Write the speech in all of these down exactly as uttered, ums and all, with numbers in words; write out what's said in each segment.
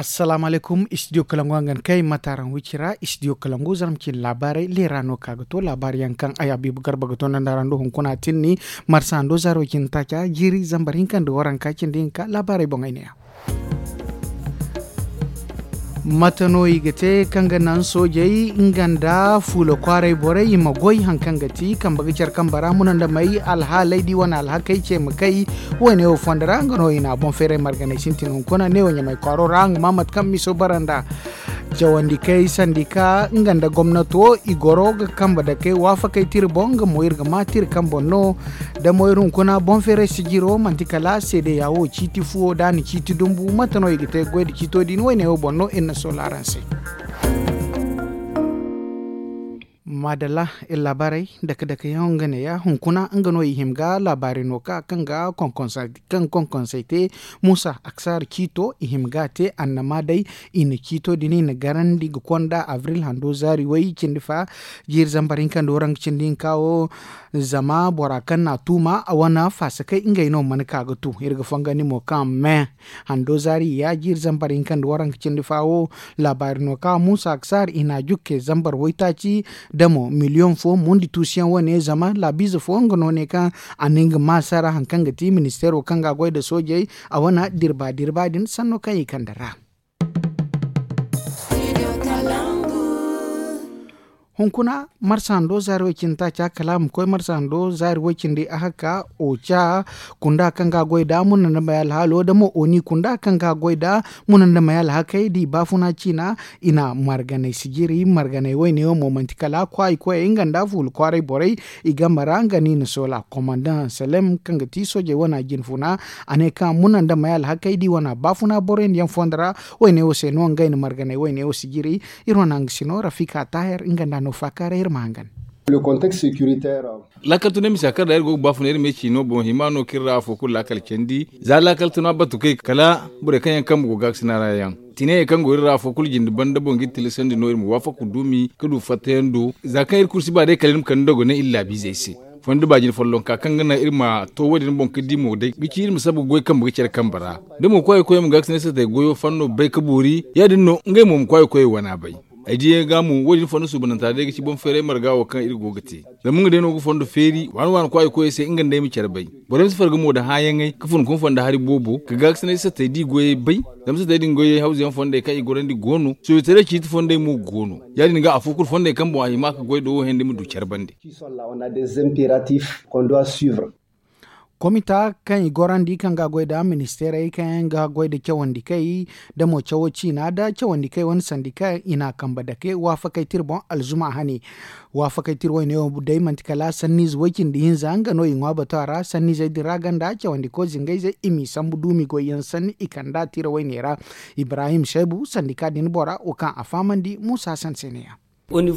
Assalaamu alaykum, istidiyo kalangu hangan kay mataaraŋ wicira istidiyo kalangu zarma cine laabaarey leera no ka ga to laabaari yaŋ kaŋ ay habiibu garba ga to nda nd'a ra nda hunkuna tinni. Marsa hando zaaro cine taaca jiiri zambar hinka nda waranka cindi hinka laabaarey boŋ ay ne ya. Mate no i ga te kaŋ ga naŋ soojey nga nda fuula kwaaray borey i ma goy hari kaŋ ga ti kambe ga care kambe ra muna nda may alhaaley da i wane alhakey ce ma kay? Woyne wo fondo ra nga no i na boŋ feeray marganay sintin hunkuna neewo ɲamay kwaaro ra nga ma mate kaŋ miso bara nda cawandi kay sandika nga nda gomnato i goro ga kambe dakey waafakey tira boŋ nga mo iri ga ma tira kaŋ boŋ no. Da mo iri hunkuna boŋ feeray sijiro manti kala seedeya wo ciiti fuwo da a na ciiti dumbu mate no i ga te goy nda ciito din woyne wo boŋ no iri na soola araŋ se. Maadalla, iri laabaarey dake dake yaŋ nga ne ya hunkuna nga no i hima ga laabaari no ka kaŋ ga konkonsay te muusa aksaar ciito i hima ga a te annama day. I na ciito din i na garandi ga konda abril hando zaari way cindi fa jiiri zambar hinka nda waranka cindi hinka wo. Zama bora kaŋ na a tuuma a wane faasakey ngey no mana ka ga tu iri ga fongandi mo kaŋ me hando zaari ya jiiri zambar hinka nda waranka cindi fa wo. Laabaari no kaŋ muusa aksaar i na a jukke zambar waytaaci da mo miliyoŋ fo mundi tuusuyaŋ wane zama laabiize fo nga no ne kaŋ a na nga maasa ra hari kaŋ ga ti ministeero kaŋ ga a goy nda soojey a wane dirba dirba din sanno kaŋ i kande ra. Hunkuna marsa hando zaari way cindi taaca kala a ma koy marsa hando zaari way cindi ahakka oca kunda kaŋ ga a goy nda muna nda may alhaalo da mo oni kunda kaŋ ga a goy nda muna nda may alhakey da i baafuna ciina. I na marganay sijiri marganay wayne wo mo manti kala kwaayi koyey nga nda fuula kwaaray borey i game ra nga no i na soola komandaŋ salem kaŋ ga ti soojey wane jinfuna. A ne kaŋ muna nda may alhakey da i wane baafuna boroyandi yaŋ fondo ra. Wayne wo se no ngey na marganay wayne wo sijiri. Iri wane hangasino rafika taahir nga nda no faakaaray iri ma hangan. Laakal tunay misa kaŋ ra iri go ga baafuna iri ma ay ci no boŋ hima no kaŋ iri ra afo kulu laakal candi za laakal tuna batu kay kala borey kaŋ yaŋ kambe go gaakasina ra yaŋ. Tinayey kaŋ go iri ra afo kulu jinde banda boŋ ga iri tilasandi no iri ma waafaku duumi ga du fattayaŋ do za kaŋ iri kulu si ba day kala iri ma kande dogonay iri laabiizey se. Fondo baajin follonka kaŋ ga naŋ iri ma to wo- din boŋ ga di mo day ga ci iri ma sabu ga goy kambe ga care kambe ra. Da mo kwaayi koyey ma gaakasinay satay goyo fanno bay ga boori ya- din no ngey mo ma kwaayi koyey wana bay. Ay diyaŋ ga mo wo- din fondo suubananta day ga ci boŋ feeray marga wo kaŋ iri go ga te. Zama nga day no ga fondo feeri waani waani kwaayi koyey se nga nda ay ma care bay. Borey ma si farga mo nda hããyaŋey ga fun ga hun fondo hari boobo ga gaakasinay satay da i goyey bay. Zama satay din goyey hawza yaŋ fondey kaŋ i gorandi go no soobitaray ciiti fondey mo go no. Ya- din ga afo kulu fondey kaŋ boŋ a hima ga goy nda wo hẽendi ma du care bande. Komita kaŋ i gorandi kaŋ ga a goy nda ministeerey kaŋ yaŋ ga goy nda cawandi kay da mo cawo ciina nda cawandi kay wane sandi kaŋ i na a kambe dake waafakey tira boŋ alzuma hane. Waafakey tira wayne wo day manti kala sanniize way-cindi hinza nga no i ŋwa bato a ra sanniizey din ra ganda cawandiko zingayzey i m'i sambu duumi goyyaŋ sanni i kand'a tira wayne ra. Ibrahim saybu sandika din bora wo kaŋ a fahamandi muusa sanseneya. Hari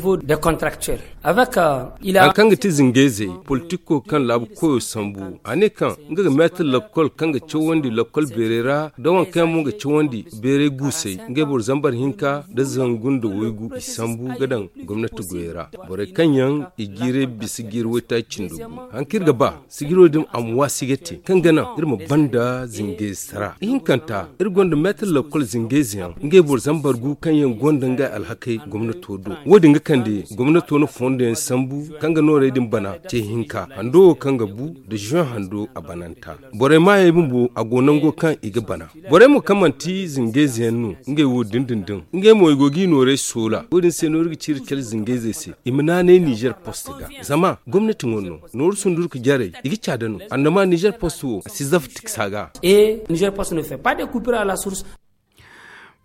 kaŋ ga ti zingayzey politiko kaŋ laabu koyo sambu a ne kaŋ nga ga meetar lakkol kaŋ ga cawandi lakkol beerey ra da waŋ kaŋ yaŋ mo ga cawandi beerey guusey ngey boro zambar hinka nda zangu nda waygu i sambu ga daŋ gomnati goyey ra. Borey kaŋ yaŋ i jiiray bisa jiiri waytaaci cindo gu hari kaŋ iri ga ba sijiro din a ma waasi ga te kaŋ ga naŋ iri ma banda zingayze sara ihinkanta iri gonda meetar lakkol zingayze yaŋ ngey boro zambar gu kaŋ yaŋ gonda ngey alhakey gomnato do. Wo- din ga kande gomnato na fondo yaŋ sambu kaŋ ga noorey din bana ce hinka hando wo kaŋ ga bu nda zuwan hando a bananta. Borey maayey bumbo a go nango kaŋ i ga bana. Borey mo kaŋ manti zingayze yaŋ no ngey wo dindindin ngey mo i go g'i noorey soola wo- din se no iri ga ci iri kala zingayzey se i ma naanay nizer post ga. Zama gomnati ŋwa no nooru sundurka jarey i ga caada no annama nizer post wo a si zafa tiksa ga.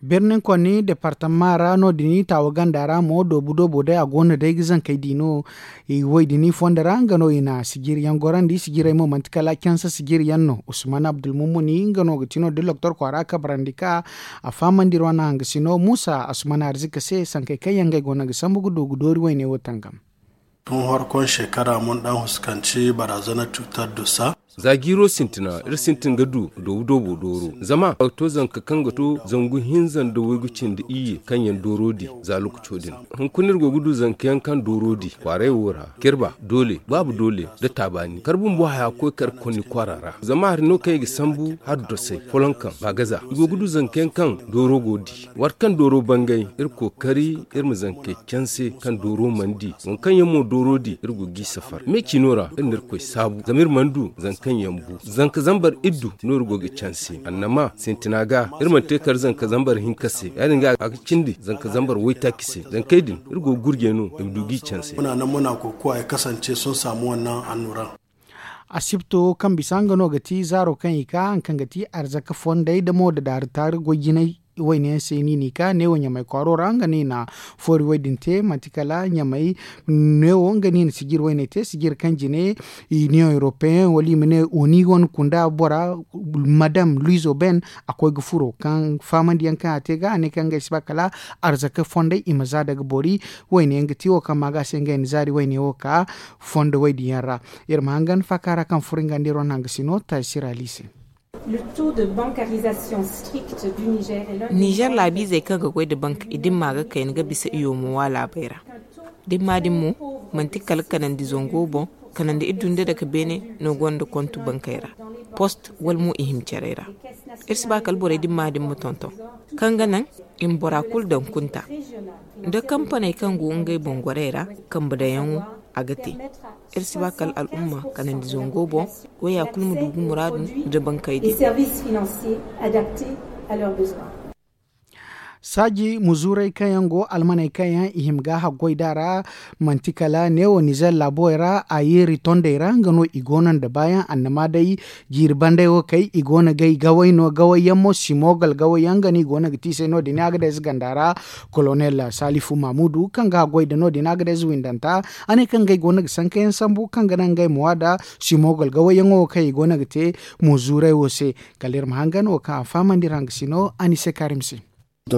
Birnin konni departama ra no- din taawa ganda ra mo doobu doobo day a go no day ga zankey di no. Woy din fondo ra nga no i na sijiri yaŋ gorandi sijirey mo manti kala canse sijiri yaŋ no usman abdulmumuni nga no ga ti no da loktor kwaara kabarandi ka a fahamandi iri wane hangasino muusa asman arzika se sankey kaŋ yaŋ ngey go no ga sambu ga du ga doori wayne wo tangam. Tun horkon shekara mun dan huskanci barazana cutar dusa. Za jiiro sintina iri sintin ga du doobu doobo dooro zama a ga to zanka kaŋ ga to zangu hinza nda waygu cindi iyye kaŋ yaŋ dooro di za lokaco din. Hunkuna iri go ga du zanka yaŋ kaŋ dooro di kwaaray wo ra, kirba doole, baabu doole, nda taabaani kar bumbo haya ga koy kar konni kwaara ra. Zama hari no kaŋ i ga sambu hari dosay foloŋ kaŋ baagaza i go ga du zanka yaŋ kaŋ dooro go di. Waati kaŋ dooro bangay iri kookari iri ma zankey canse kaŋ dooro mana di waŋ kaŋ yaŋ mo dooro di iri go g'i safar me ciino ra iri na irkoy saabu zama iri mana du zanka kaŋ yaŋ bu zanka zambar iddu no iri go ga canse annama sintina ga iri mana te kar zanka zambar hinka se ya- din ga a ga cindi zanka zambar waytaaci se zankey din iri go ga gurjey no i ma du g'i canse. Muna nan muna kokowa ya kasance sun samu wannan annuran. Asibto kaŋ bisa nga no ga ti zaaro kaŋ i ka haŋ kaŋ ga ti arzaka fondey damo da daari taari goy jinay. Wayne yaŋ se ni n'i ka neewo ɲamay kwaaro ra nga no i na foori way din te manti kala ɲamay neewo nga no i na sijir wayne te sijir kaŋ jine. Iniyoŋ europeyen wala i ma ne oni wane kunda bora madam luizo ben a koy ga furo kaŋ fahamandi yaŋ kaŋ a te ga a ne kaŋ ngey si ba kala arzaka fondey i ma za daga boori. Wayne yaŋ ga ti wo kaŋ ma ga se ngey na zaari wayne wo ka fondo way din yaŋ ra. Iri ma hangan faaka ra kaŋ furo nga nda iri wane hangasino taasi ra liise. Nizer laabiizey kaŋ ga goy nda bank i dimma ga kayna ga bisa i yoomo wa laabey ra. Dimma din mo manti kala kanandi zango boŋ kanandi iddu nda dake beene no gonda kontu bankey ra post wala mo i hima carey ra. Iri si ba kala borey dimma din ma tonton kaŋ ga naŋ i ma bora kulu daŋ kunta nda kampaney kaŋ go ngey boŋ gorey ra. Kambe daŋyaŋo a ga te iri si ba kala al'umma kanandi zango boŋ waya kulu ma du ga muraadu nda bankey din. Saaji muzuuray kaŋ yaŋ go almaney kaŋ yaŋ i hima ga haggoy da ra manti kala neewo nizer laabo ra a yeeri tondey ra nga no i go no nda baayaŋ annama day jiiri banday wo kay i go no gay gaway no gaway yaŋ mo simogal gaway yaŋ nga no i go no ga tiisay no- din a ga day ze ganda ra. Kolonel salifu mamudu kaŋ ga haggoy da no- din a ga day ze windanta a ne kaŋ ngey go no ga sanka yaŋ sambu kaŋ ga naŋ ngey ma wa da simogal gaway yaŋo wo kaŋ i go no ga te. Muzuuray wo se kala iri ma hangan wo kaŋ a fahamandi ra nga si no a ni se kaarim se. Ay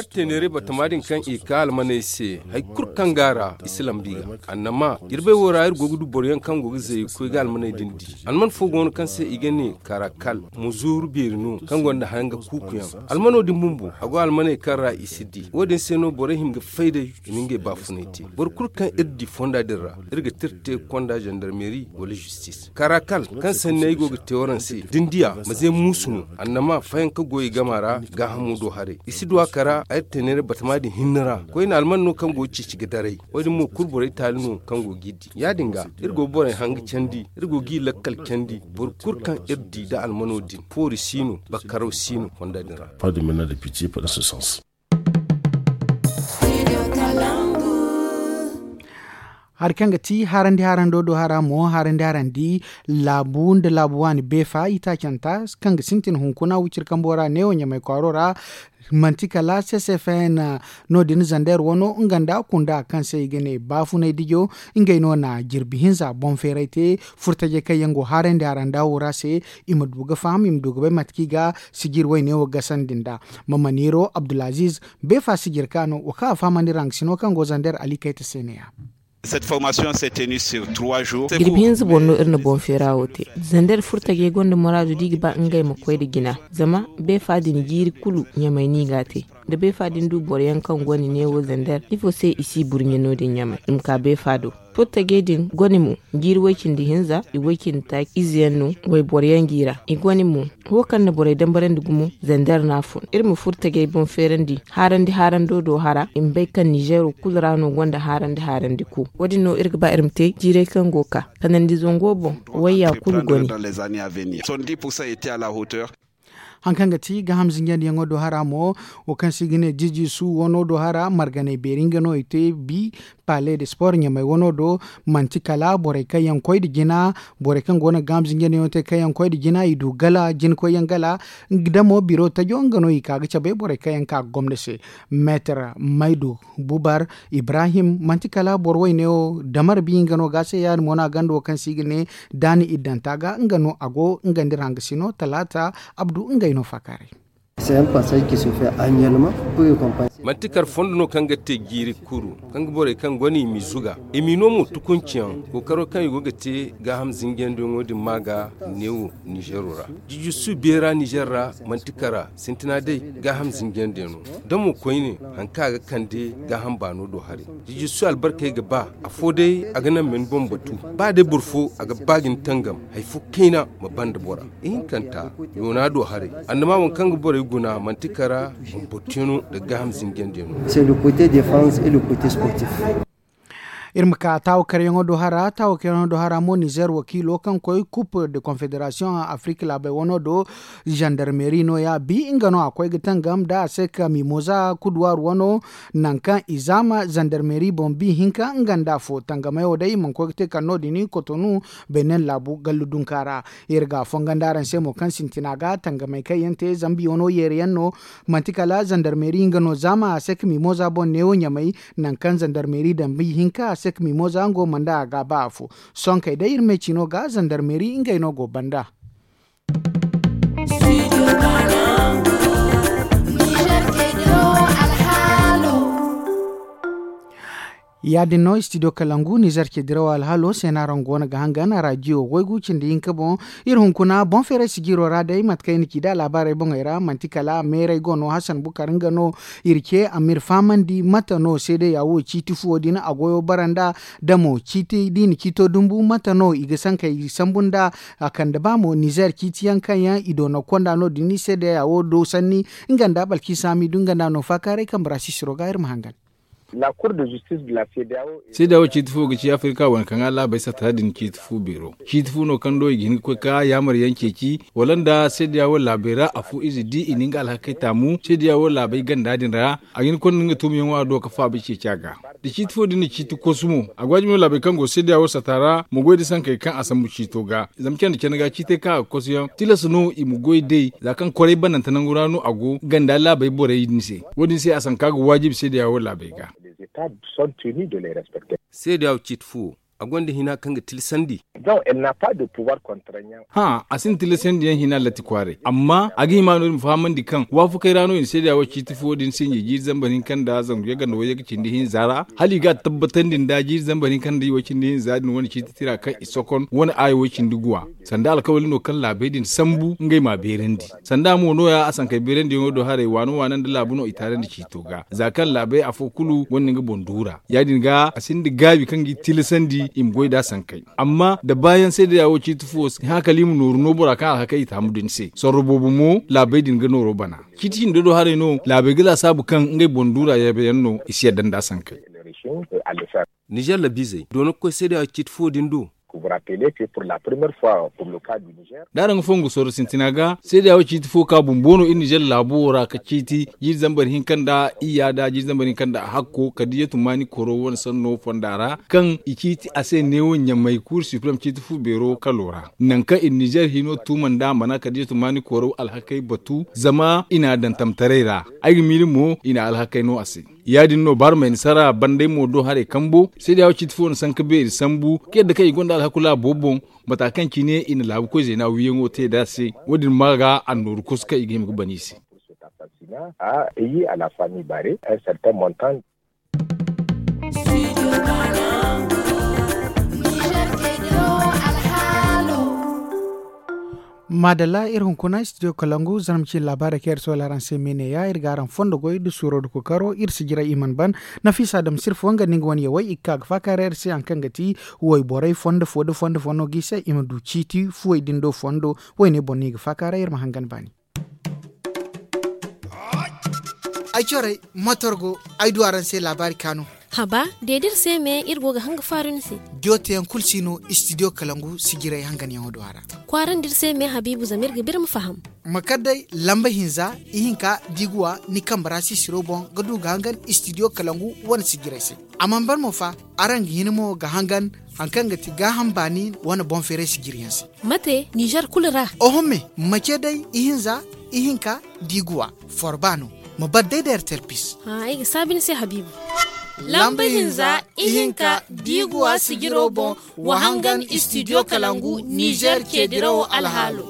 iri teeneeray batama din kaŋ i ka almaney se hari kulu kaŋ go a ra i si lambu i ga annama jirbey wo ra iri go ga du boro yaŋ kaŋ go ga zay ga koy ga almaney din di. Alman fo go no kaŋ se i ga ne karakal muzuuru beeri no kaŋ gonda hanga kuuku yaŋ. Almano din bumbo a go almaney kaŋ ra i si di wo- din se no borey hin ga fay day i ma ngey baafunay te. Boro kulu kaŋ iri di fonda din ra iri ga tira te konda zandarmeeri wala zistis karakal kaŋ sanni ay go ga te waraŋ se da ni diya ma ze muusu no. Annama fayanka go i gama ra gaahamo do haray i si du a kara ay teeneeray batama din hinne ra koyne alman no kaŋ go ga ceeci ga daray. Wo- din mo kulu borey taali no kaŋ go g'i di ya- din ga iri go ga borey hanga candi iri go g'i lakkal candi boro kulu kaŋ iri di nda almano din foori si no bakkaraw si no fonda din ra. Hari kaŋ ga ti harandi harando do hara mo harandi harandi laabu nda laabu waani beefa itaacanta kaŋ ga sintin hunkuna wiciri kambo ra neewo ɲamay kwaaro ra. Manti kala ccfn no- din zander wano nga nda kunda kaŋ se i ga ne baafunay dijo ngey no na jirbi hinza boŋ feeray te. Furtajey kaŋ yaŋ go harandi haranda wo ra se i ma du ga faham i ma du ga bay mate kaŋ i ga sijir wayne wo gasandi nd'a. Mamaniro abdulaziz beefa sijir ka no wo kaŋ a fahamandi ra nga sino kaŋ go zander ali kayta se ne-ya. Jirbi hinza boŋ no iri na boŋ feera wo te. Zander furtajey gonda muraadu da i ga ba ngey ma koy nda jina zama beefa din jiiri kulu ɲamay no i g'a te. Da beefa din du boro yaŋ kaŋ gonda neewo zander ifo se i si burɲe no- din ɲamay i ma ka beefa do. Furtajey din gone mo jiiri way-cindi hinza i way-cindi taaci ize yaŋ no wayboro yaŋ g'i ra i gone mo. Wo kaŋ na borey dambarandi gumo zander no a fun iri ma furtajey boŋ feerandi haarandi haarando do hara i ma bay kaŋ nizeero kulu ra no gonda haarandi haarandi ku. Wo- din no iri ga ba iri ma te jiirey kaŋ go ga ka kanandi zango boŋ wayya kulu gone. Hari kaŋ ga ti gaaham zinjandiyaŋo do hara mo wo kaŋ se i ga ne jiji su wano do hara marganay beeri nga no i te bi pale de sport ɲamay wano do. Manti kala borey kaŋ yaŋ koy nda jina borey kaŋ go no ga gaaham zinjandiyaŋo te kaŋ yaŋ koy nda jina i du gala jina koyyaŋ gala. Damo biro tajo nga no i ka ga cabe borey kaŋ yaŋ ka ga gomna se meetar maydu bubar ibrahim manti kala boro wayne wo damar bi nga no ga se ya- din mo no a ganda wo kaŋ se i ga ne daani iddanta ga nga no a go nga nda iri hangasino talaata abdu ngey no faakaaray. Manti kar fondo no kaŋ ga te jiiri kuru, kaŋ ga borey kaŋ go no i m'i zuga, i m'i no mo tukunci yaŋ kookaro kaŋ i go ga te gaaham zinjandiyaŋo din ma ga neewo. Nizero ra jijirsu beera nizer ra, manti kara sintina day gaaham zinjandiyaŋo. Da mo koyne, hari kaŋ a ga kande gaaham baano do haray. Jijirsu albarkey ga ba afo day a ga naŋ ma ni boŋ batu. Ba day boro fo a ga ba ga ni tangam, hari fo kayna ma banda bora. Ihinkanta, yoona do haray, annama waŋ kaŋ ga borey guna manti kara, bumbottiyano nda gaaham zinjandiyaŋo. Iri ma ka taawakaryaŋo do hara taawakaryaŋo do hara mo nizer wakiilo kaŋ koy coupe de confederation a afrik laabey wano do. Zandarmeri no- ya bi nga no a koy ga tangam da a se ka mimoza kuduwar wano, nangu kaŋ i zaama zandarmeri boŋ bi hinka nga nda afo tangamey wo day i mana koy ga te kala no- din kotonu, benin laabu gallu dunka ra. Iri ga a fonga nda araŋ se mo kaŋ sintina ga tangamey kaŋ yaŋ te zambi wano yeeri yaŋ no. Manti kala zandarmeri nga no zaama a se ka mimoza boŋ neewo ɲamay, nangu kaŋ zandarmeri dambi hinka a se ka mimoza nga wo mana nda a ga ba afo. Sonkey day iri me cino ga zandarmeri ngey no go banda. Ya- din no studio kalangu nizer cediraw alhaalo se no araŋ go no ga hangan a raadiyo waygu cindi hinka boŋ. Iri hunkuna boŋ feeray sijiro ra day mate kaŋ i na ci da laabaarey boŋey ra manti kala meeray go no hasan bukar nga no. Iri ce a ma iri fahamandi mate no seedeya wo ciiti fuwo din a goyo bara nd'a, da mo ciiti da i na ciito dumbu mate no i ga sankey sambu nd'a. A kande ba mo nizer ciiti yaŋ kaŋ yaŋ i doona konda no- din seedeya wo do sanni. Nga nda balki saami du nga nda no faakaaray kambe ra sisiro ga iri ma hangan. Seedeya wo ciiti fo ga ci afirka wane kaŋ a laabey satta din ciiti fo beero. Ciiti fo no kaŋ do i ga hin ga koy ka yaamar yaŋ ceeci wala nda seedeya wo laabey ra afo ize di i na nga alhakey taamu seedeya wo laabey ganda din ra. A ga hin ga konda nga tuumiyaŋo a do ga faaba ceeci a ga. Da ciiti fo din na ciiti kosu mo a go a jimay laabey kaŋ go seedeya wo satta ra ma goy da sankey kaŋ a sambu ciito ga. Zama candi candi ga ciitey kaŋ a ga kosu yaŋ tilas no i ma goy day za kaŋ koray bananta nangu ra no a go ganda laabey borey din se. Wo- din se a sanka ga waajibi seedeya wo laabey ga. Seedeya wo ciiti fo wo a gonda hina kaŋ ga tilasandi. Hã, a sinda tilasandi yaŋ hina latti kwaaray amma a ga hima no iri ma fahamandi kaŋ waafakey ra no i na seedeya wo ciiti fo din sinji jiiri zambar hinka nda zangu yaganda wayyaga cindi hinza ra hala i ga a tabbatandi nda jiiri zambar hinka nda i wo cindi hinza din wane ciiti tira kaŋ i sokon wane aayi wo cindi guwa. Sanda alkawali no kaŋ laabey din sambu ngey m'a beerandi. Sanda mo no- ya a sankey beerandiyaŋo do haray waana waana nda laabu no i taarandi ciito ga za kaŋ laabey afo kulu gonda nga boŋ duura ya- din ga a sinda gaabi kaŋ ga i tilasandi i ma goy nd'a sankey. Amma da baayaŋ seedeya wo ciiti fo si hã kala i ma nooru no bora kaŋ alhakey i taamu din se sorro boobo mo laabey din ga nooro bana. Ciiti hinda do haray no laabey ga laasaabu kaŋ ngey boŋ duura yaabeyaŋ no i si yadda nd'a sankey. Nizer labiizey doona ga koy seedeya wo ciiti fo din do. Da araŋ ga fongu sorro sintina ga seedeya wo ciiti fo ka bumbo no iri nizer laabo wo ra ka ciiti jiiri zambar hinka nda iyya da jiiri zambar hinka nda hakko kadiyatu maani koro wane sanno fonda ra kaŋ i ciiti a se neewo ɲamay kuur siprem ciiti fu beero kalo ra. Nangu kaŋ iri nizer hino tuuma nda mana kadiyatu maani koro alhakey batu zama i n'a daŋ tamtaray ra. Ay ga miila mo i na alhakey no a se. Ya- din no barmey na sara bandey mo do haray kambo seedeya wo ciiti fo na sanka beeri sambu ka yadda kaŋ i gonda alhaku laabo boŋ. Mata kaŋ cine i na laabu koy zeena wiiyaŋo te nd'a se wo- din ma ga annooru kosu kaŋ i ga hima ga ban i se. Maadalla iri hunkuna studio kalangu zarma ciine laabaarey kaŋ iri soola araŋ se me ne- ya iri ga araŋ fondo goy nda suuro nda kookaro iri si jiray i mana ban. Nafiisa adama sirfo nga nda nga wane yawey i ga ka ga faakaaray iri se hari kaŋ ga ti wayborey fondo fo nda fondo fo no ga i se i ma du ciiti fuwey din do fondo. Wayne boŋ no i ga faakaaray iri ma hangan baani. Ay corey, matorgo ay du araŋ se laabaari kaanu. Haba, de da iri se me iri go ga hanga faaru ni se. Joteyaŋ kulu si no istidiyo kalangu sijiray hanganyaŋo do a ra. Kwaarandi iri se me habiibu zama iri ga ba iri ma faham. Ma kar day lamba hinza ihinka diiguwa ni kambe ra sisiro boŋ ga du ga hangan istidiyo kalangu wane sijiray se. A mana ban mo fa, araŋ ga hin mo ga hangan hari kaŋ ga ti gaaham baani wane boŋ feeray sijiryaŋ se. Mate nizer kulu ra? Oho me, ma ce day ihinza ihinka diiguwa. Forba no. Ma bar day da ertel pis. Ay ga saabi ni se habiibu. Lamba hinza ihinka diiguwa sijiro boŋ. Wa hangan istidiyo kalangu nizer ceedirawo alhaalo.